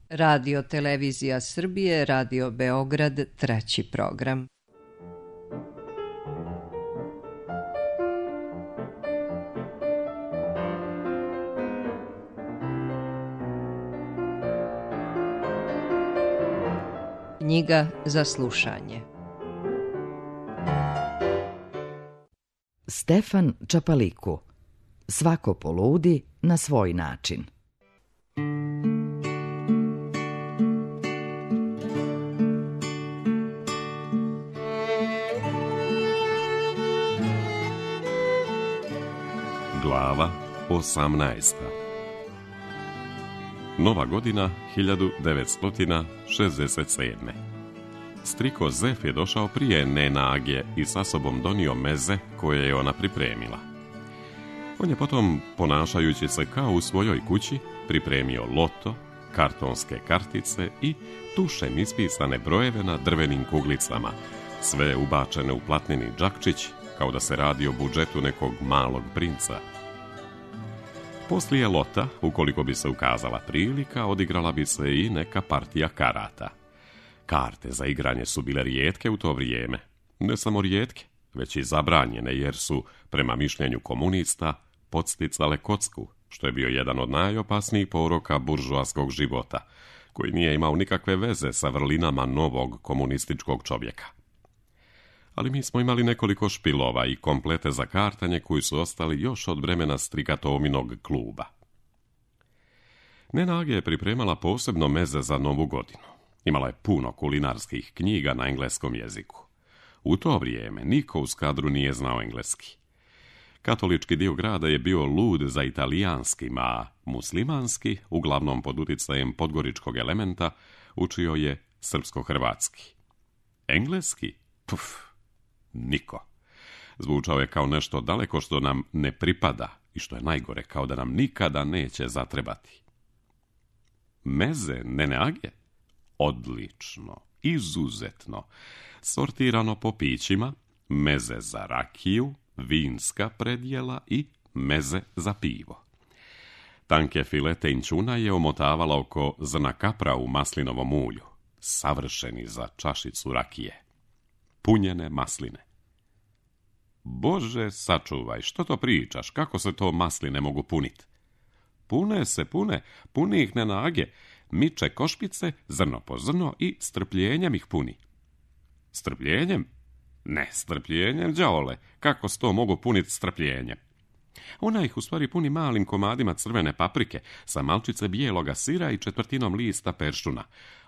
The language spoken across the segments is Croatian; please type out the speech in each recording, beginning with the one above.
Radio Televizija Srbije, Radio Beograd, 3. program. Knjiga za slušanje. Stefan Čapaliku. Svako poludi na svoj način. Glava 18. Nova godina 1967. Striko Zef je došao prije Nena Age i sa sobom donio meze koje je ona pripremila. On je potom, ponašajući se kao u svojoj kući, pripremio loto, kartonske kartice i tušem ispisane brojeve na drvenim kuglicama, sve ubačene u platneni džakčić, kao da se radi o budžetu nekog malog princa. Poslije lota, ukoliko bi se ukazala prilika, odigrala bi se i neka partija karata. Karte za igranje su bile rijetke u to vrijeme. Ne samo rijetke, već i zabranjene, jer su, prema mišljenju komunista, podsticale kocku, što je bio jedan od najopasnijih poroka buržoaskog života, koji nije imao nikakve veze sa vrlinama novog komunističkog čovjeka. Ali mi smo imali nekoliko špilova i komplete za kartanje koji su ostali još od vremena Strigatominog kluba. Nena Age je pripremala posebno meze za Novu godinu. Imala je puno kulinarskih knjiga na engleskom jeziku. U to vrijeme niko u Skadru nije znao engleski. Katolički dio grada je bio lud za italijanskim, a muslimanski, uglavnom pod utjecajem podgoričkog elementa, učio je srpsko-hrvatski. Engleski? Puf! Niko. Zvučao je kao nešto daleko što nam ne pripada i što je najgore, kao da nam nikada neće zatrebati. Meze Nene Age? Odlično, izuzetno. Sortirano po pićima, meze za rakiju, vinska predjela i meze za pivo. Tanke filete inćuna je omotavala oko zrna kapra u maslinovom ulju, savršeni za čašicu rakije. Punjene masline. Bože, sačuvaj, što to pričaš? Kako se to masline mogu puniti? Puni ih Nena Age. Miče košpice, zrno po zrno i strpljenjem ih puni. Strpljenjem? Ne, strpljenjem, đavole. Kako se to mogu puniti strpljenjem? Ona ih u stvari puni malim komadima crvene paprike, sa malčice bijeloga sira i četvrtinom lista peršuna.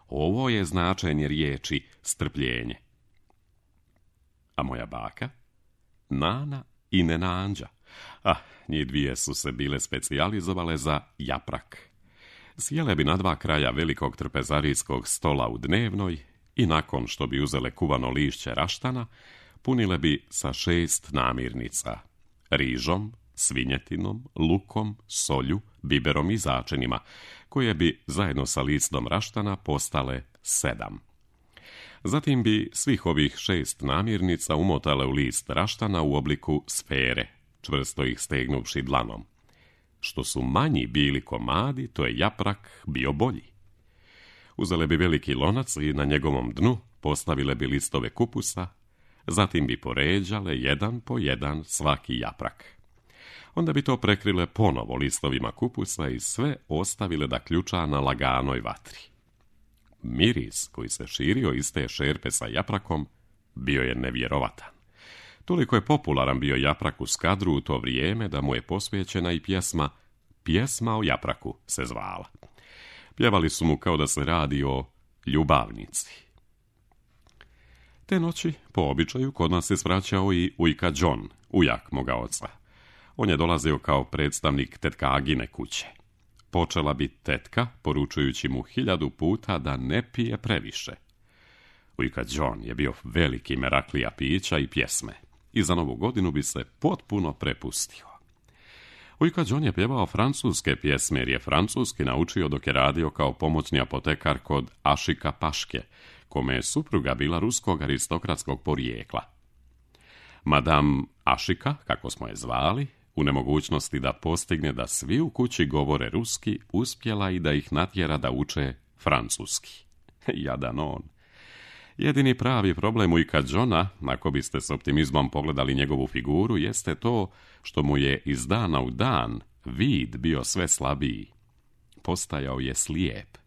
Ovo je značenje riječi strpljenje. A moja baka? Nana i Nena Anđa. Njih dvije su se bile specijalizovale za japrak. Sjele bi na dva kraja velikog trpezarijskog stola u dnevnoj i nakon što bi uzele kuvano lišće raštana, punile bi sa 6 namirnica. Rižom, svinjetinom, lukom, solju, biberom i začinima, koje bi zajedno sa listom raštana postale 7. Zatim bi svih ovih 6 namirnica umotale u list raštana u obliku sfere, čvrsto ih stegnuvši dlanom. Što su manji bili komadi, to je japrak bio bolji. Uzele bi veliki lonac i na njegovom dnu postavile bi listove kupusa, zatim bi poređale jedan po jedan svaki japrak. Onda bi to prekrile ponovo listovima kupusa i sve ostavile da ključa na laganoj vatri. Miris koji se širio iz te šerpe sa japrakom bio je nevjerovatan. Toliko je popularan bio japrak u Skadru u to vrijeme da mu je posvećena i Pjesma o japraku se zvala. Pjevali su mu kao da se radi o ljubavnici. Te noći, po običaju, kod nas se svraćao i ujka John, ujak moga oca. On je dolazio kao predstavnik tetka Agine kuće. Počela bi tetka, poručujući mu 1000 puta da ne pije previše. Ujka John je bio veliki meraklija pića i pjesme i za Novu godinu bi se potpuno prepustio. Ujka John je pjevao francuske pjesme jer je francuski naučio dok je radio kao pomoćni apotekar kod Ašika Paške, kome je supruga bila ruskog aristokratskog porijekla. Madame Ašika, kako smo je zvali, u nemogućnosti da postigne da svi u kući govore ruski, uspjela i da ih natjera da uče francuski. Jadan on. Jedini pravi problem u Ika Johna, ako biste s optimizmom pogledali njegovu figuru, jeste to što mu je iz dana u dan vid bio sve slabiji. Postajao je slijep.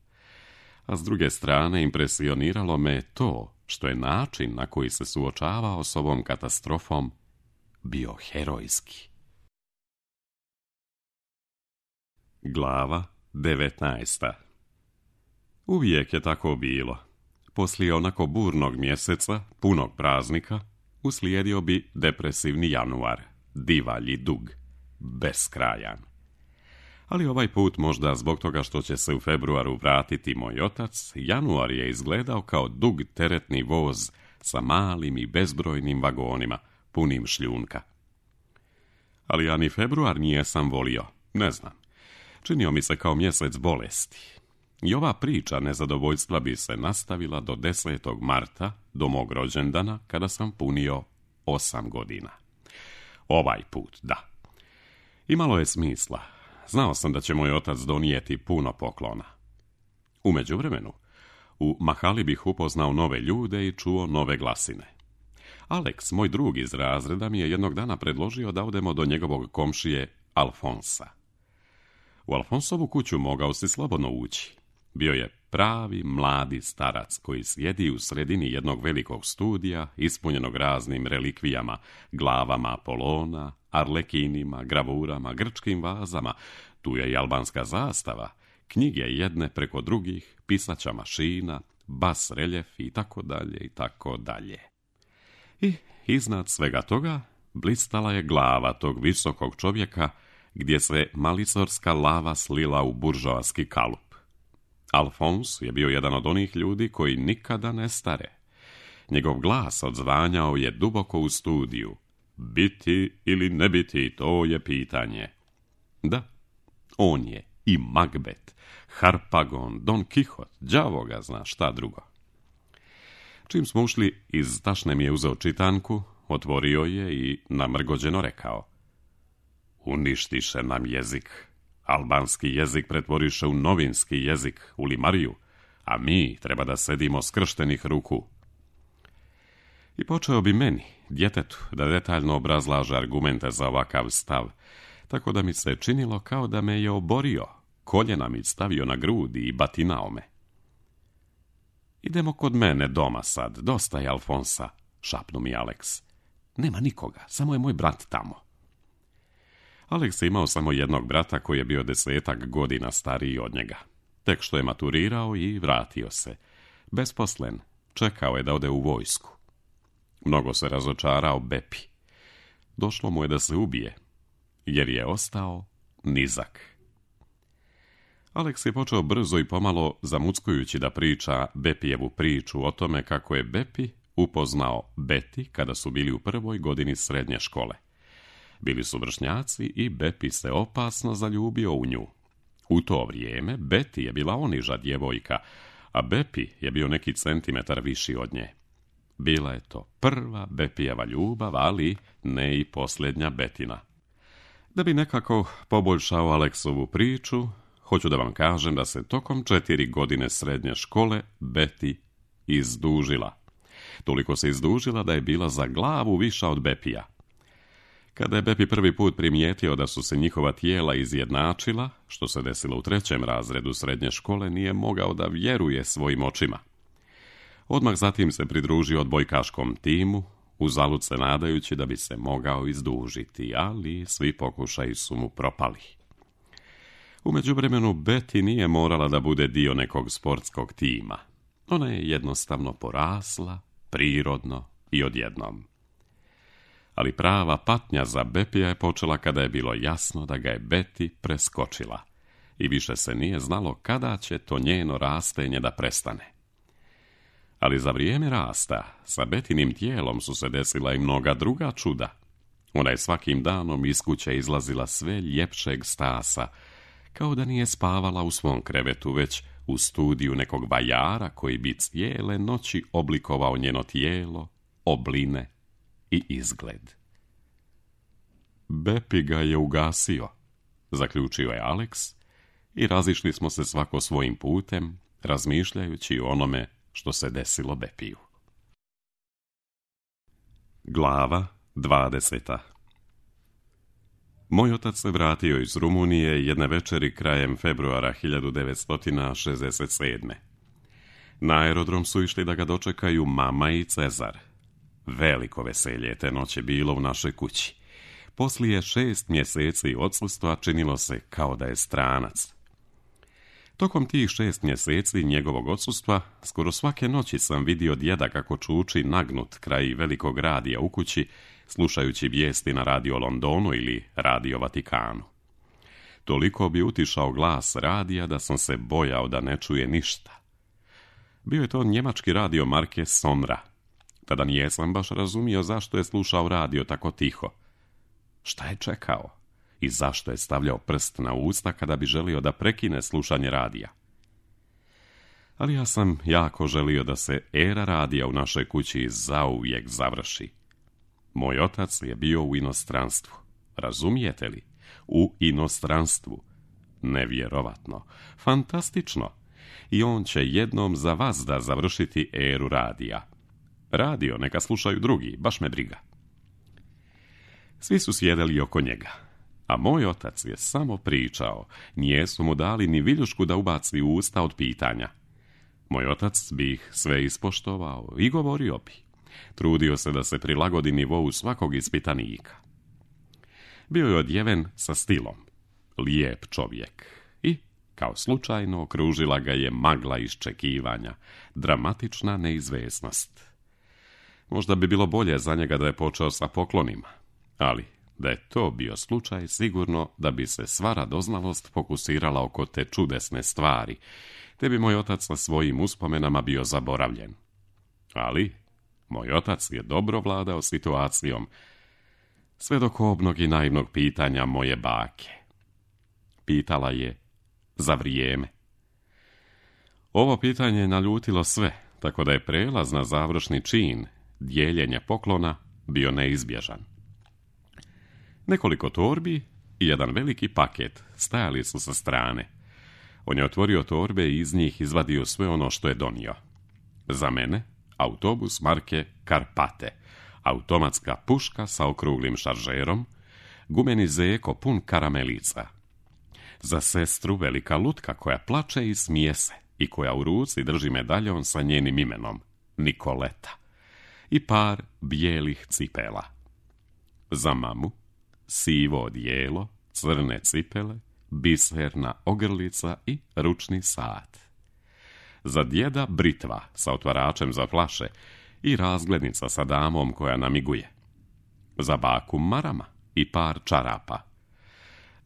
A s druge strane impresioniralo me to što je način na koji se suočavao s ovom katastrofom bio herojski. Glava 19. Uvijek je tako bilo. Poslije onako burnog mjeseca, punog praznika, uslijedio bi depresivni januar, divalji dug, beskrajan. Ali ovaj put, možda zbog toga što će se u februaru vratiti moj otac, januar je izgledao kao dug teretni voz sa malim i bezbrojnim vagonima, punim šljunka. Ali ja ni februar nijesam volio, ne znam. Činio mi se kao mjesec bolesti. I ova priča nezadovoljstva bi se nastavila do 10. marta, do mog rođendana, kada sam punio 8 godina. Ovaj put, da. Imalo je smisla. Znao sam da će moj otac donijeti puno poklona. U međuvremenu, u mahali bih upoznao nove ljude i čuo nove glasine. Alex, moj drug iz razreda, mi je jednog dana predložio da odemo do njegovog komšije Alfonsa. U Alfonsovu kuću mogao si slobodno ući. Bio je pravi mladi starac koji sjedi u sredini jednog velikog studija, ispunjenog raznim relikvijama, glavama Apolona, arlekinima, gravurama, grčkim vazama. Tu je i albanska zastava, knjige jedne preko drugih, pisaća mašina, bas reljef i tako dalje i tako dalje. I iznad svega toga blistala je glava tog visokog čovjeka gdje se malicorska lava slila u buržoaski kalup. Alfons je bio jedan od onih ljudi koji nikada ne stare. Njegov glas odzvanjao je duboko u studiju. Biti ili ne biti, to je pitanje. Da, on je i Macbeth, Harpagon, Don Quixote, đavo ga zna šta drugo. Čim smo ušli, iz tašne mi je uzeo čitanku, otvorio je i namrgođeno rekao: uništiše nam jezik. Albanski jezik pretvoriše u novinski jezik, u limariju, a mi treba da sedimo skrštenih ruku. I počeo bi meni, djetetu, da detaljno obrazlaže argumente za ovakav stav, tako da mi se činilo kao da me je oborio, koljena mi stavio na grudi i batinao me. Idemo kod mene doma sad, dosta je Alfonsa, šapnu mi Alex. Nema nikoga, samo je moj brat tamo. Alex je imao samo jednog brata koji je bio 10 godina stariji od njega. Tek što je maturirao i vratio se. Besposlen, čekao je da ode u vojsku. Mnogo se razočarao Bepi. Došlo mu je da se ubije, jer je ostao nizak. Alex je počeo brzo i pomalo zamuckujući da priča Bepijevu priču o tome kako je Bepi upoznao Beti kada su bili u 1. godini srednje škole. Bili su vršnjaci i Bepi se opasno zaljubio u nju. U to vrijeme Beti je bila oniža djevojka, a Bepi je bio neki centimetar viši od nje. Bila je to prva Bepijeva ljubav, ali ne i posljednja Betina. Da bi nekako poboljšao Aleksovu priču, hoću da vam kažem da se tokom 4 godine srednje škole Beti izdužila. Toliko se izdužila da je bila za glavu viša od Bepija. Kada je Bepi prvi put primijetio da su se njihova tijela izjednačila, što se desilo u 3. razredu srednje škole, nije mogao da vjeruje svojim očima. Odmah zatim se pridružio odbojkaškom timu, uzalud se nadajući da bi se mogao izdužiti, ali svi pokušaji su mu propali. U međuvremenu Beti nije morala da bude dio nekog sportskog tima. Ona je jednostavno porasla, prirodno i odjednom. Ali prava patnja za Bepija je počela kada je bilo jasno da ga je Beti preskočila i više se nije znalo kada će to njeno rastenje da prestane. Ali za vrijeme rasta sa Betinim tijelom su se desila i mnoga druga čuda. Ona je svakim danom iz kuće izlazila sve ljepšeg stasa, kao da nije spavala u svom krevetu, već u studiju nekog vajara koji bi cijele noći oblikovao njeno tijelo, obline i izgled. Bepi ga je ugasio, zaključio je Alex, i razišli smo se svako svojim putem, razmišljajući o onome što se desilo Bepiju. Glava 20. Moj otac se vratio iz Rumunije jedne večeri krajem februara 1967. Na aerodrom su išli da ga dočekaju mama i Cezar. Veliko veselje te noći bilo u našoj kući. Poslije 6 mjeseci odsustva činilo se kao da je stranac. Tokom tih 6 mjeseci njegovog odsustva, skoro svake noći sam vidio djeda kako čuči nagnut kraj velikog radija u kući, slušajući vijesti na Radio Londonu ili Radio Vatikanu. Toliko bi utišao glas radija da sam se bojao da ne čuje ništa. Bio je to njemački radio marke Sonra. Tada nijesam baš razumio zašto je slušao radio tako tiho. Šta je čekao? I zašto je stavljao prst na usta kada bi želio da prekine slušanje radija? Ali ja sam jako želio da se era radija u našoj kući zauvijek završi. Moj otac je bio u inostranstvu. Razumijete li? U inostranstvu. Nevjerovatno. Fantastično. I on će jednom za vas da završiti eru radija. Radio neka slušaju drugi, baš me briga. Svi su sjedeli oko njega. A moj otac je samo pričao, nijesu mu dali ni viljušku da ubaci u usta od pitanja. Moj otac bi ih sve ispoštovao i govorio bi. Trudio se da se prilagodi nivou svakog ispitanika. Bio je odjeven sa stilom, lijep čovjek i, kao slučajno, okružila ga je magla iščekivanja, dramatična neizvjesnost. Možda bi bilo bolje za njega da je počeo sa poklonima, ali da je to bio slučaj, sigurno da bi se sva radoznalost fokusirala oko te čudesne stvari, te bi moj otac sa svojim uspomenama bio zaboravljen. Ali moj otac je dobro vladao situacijom, sve do kobnog i naivnog pitanja moje bake. Pitala je za vrijeme. Ovo pitanje je naljutilo sve, tako da je prelaz na završni čin, dijeljenje poklona, bio neizbježan. Nekoliko torbi i jedan veliki paket stajali su sa strane. On je otvorio torbe i iz njih izvadio sve ono što je donio. Za mene autobus marke Karpate, automatska puška sa okruglim šaržerom, gumeni zeko pun karamelica. Za sestru velika lutka koja plače i smije se i koja u ruci drži medaljon sa njenim imenom, Nikoleta, i par bijelih cipela. Za mamu sivo odijelo, crne cipele, biserna ogrlica i ručni sat. Za djeda britva sa otvaračem za flaše i razglednica sa damom koja namiguje. Za baku marama i par čarapa.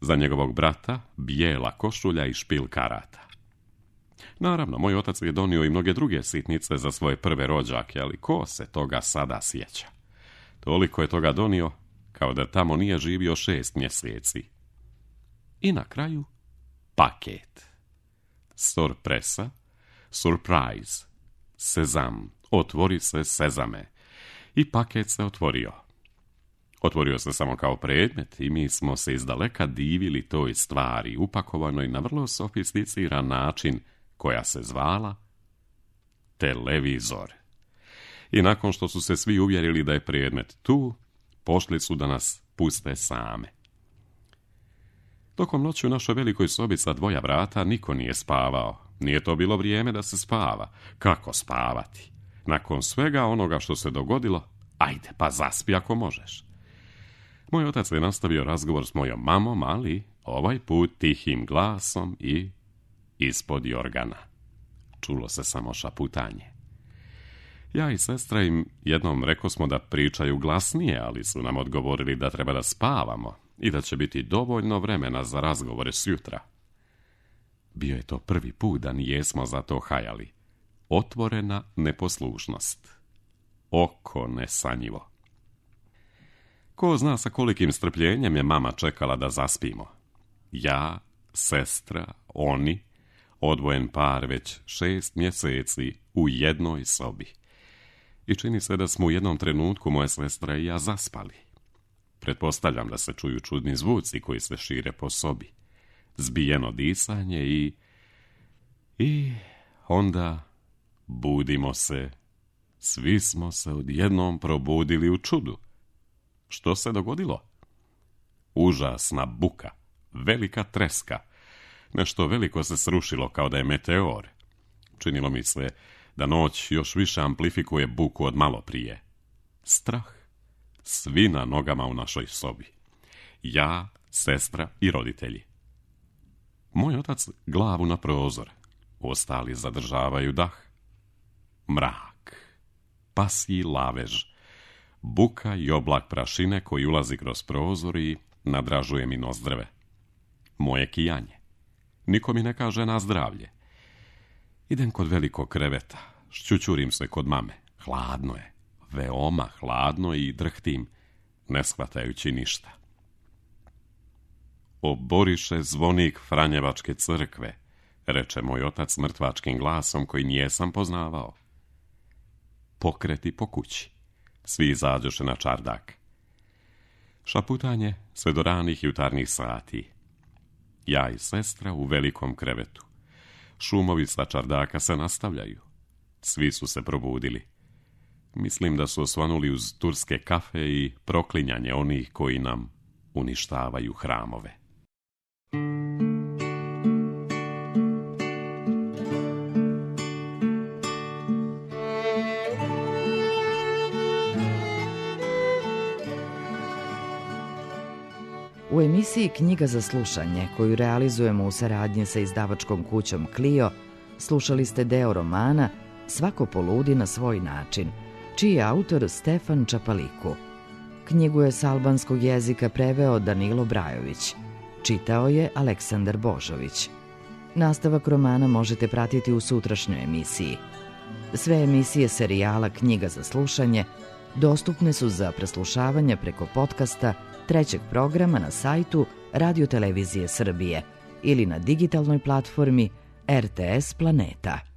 Za njegovog brata bijela košulja i špil karata. Naravno, moj otac je donio i mnoge druge sitnice za svoje prve rođake, ali ko se toga sada sjeća? Toliko je toga donio, kao da tamo nije živio 6 mjeseci. I na kraju, paket. Sorpresa, surprise, sezam, otvori se sezame. I paket se otvorio. Otvorio se samo kao predmet i mi smo se izdaleka divili toj stvari, upakovanoj na vrlo sofisticiran način, koja se zvala televizor. I nakon što su se svi uvjerili da je predmet tu, pošli su da nas puste same. Tokom noći u našoj velikoj sobi sa 2 vrata niko nije spavao. Nije to bilo vrijeme da se spava. Kako spavati? Nakon svega onoga što se dogodilo, ajde pa zaspi ako možeš. Moj otac je nastavio razgovor s mojom mamom, ali ovaj put tihim glasom i ispod jorgana. Čulo se samo šaputanje. Ja i sestra im jednom rekosmo da pričaju glasnije, ali su nam odgovorili da treba da spavamo i da će biti dovoljno vremena za razgovore sjutra. Bio je to prvi put da nijesmo za to hajali. Otvorena neposlušnost. Oko nesanjivo. Ko zna sa kolikim strpljenjem je mama čekala da zaspimo. Ja, sestra, oni, odvojen par već 6 mjeseci u jednoj sobi. I čini se da smo u jednom trenutku moja sestra i ja zaspali. Pretpostavljam da se čuju čudni zvuci koji se šire po sobi. Zbijeno disanje i onda budimo se. Svi smo se odjednom probudili u čudu. Što se dogodilo? Užasna buka, velika treska. Nešto veliko se srušilo kao da je meteor. Činilo mi se da noć još više amplifikuje buku od malo prije. Strah. Svi na nogama u našoj sobi. Ja, sestra i roditelji. Moj otac glavu na prozor. Ostali zadržavaju dah. Mrak. Pasji lavež. Buka i oblak prašine koji ulazi kroz prozor i nadražuje mi nozdrve. Moje kijanje. Niko mi ne kaže na zdravlje. Idem kod velikog kreveta. Šćućurim se kod mame. Hladno je. Veoma hladno i drhtim, ne shvatajući ništa. Oboriše zvonik Franjevačke crkve, reče moj otac mrtvačkim glasom koji nijesam poznavao. Pokreti po kući. Svi izađoše na čardak. Šaputanje sve do ranih jutarnjih sati. Ja i sestra u velikom krevetu. Šumovi sa čardaka se nastavljaju. Svi su se probudili. Mislim da su osvanuli uz turske kafe i proklinjanje onih koji nam uništavaju hramove. U emisiji Knjiga za slušanje, koju realizujemo u saradnji sa izdavačkom kućom Clio, slušali ste deo romana Svako poludi na svoj način, čiji je autor Stefan Čapaliku. Knjigu je s albanskog jezika preveo Danilo Brajović. Čitao je Aleksandar Božović. Nastavak romana možete pratiti u sutrašnjoj emisiji. Sve emisije serijala Knjiga za slušanje dostupne su za preslušavanje preko podcasta trećeg programa na sajtu Radio Televizije Srbije ili na digitalnoj platformi RTS Planeta.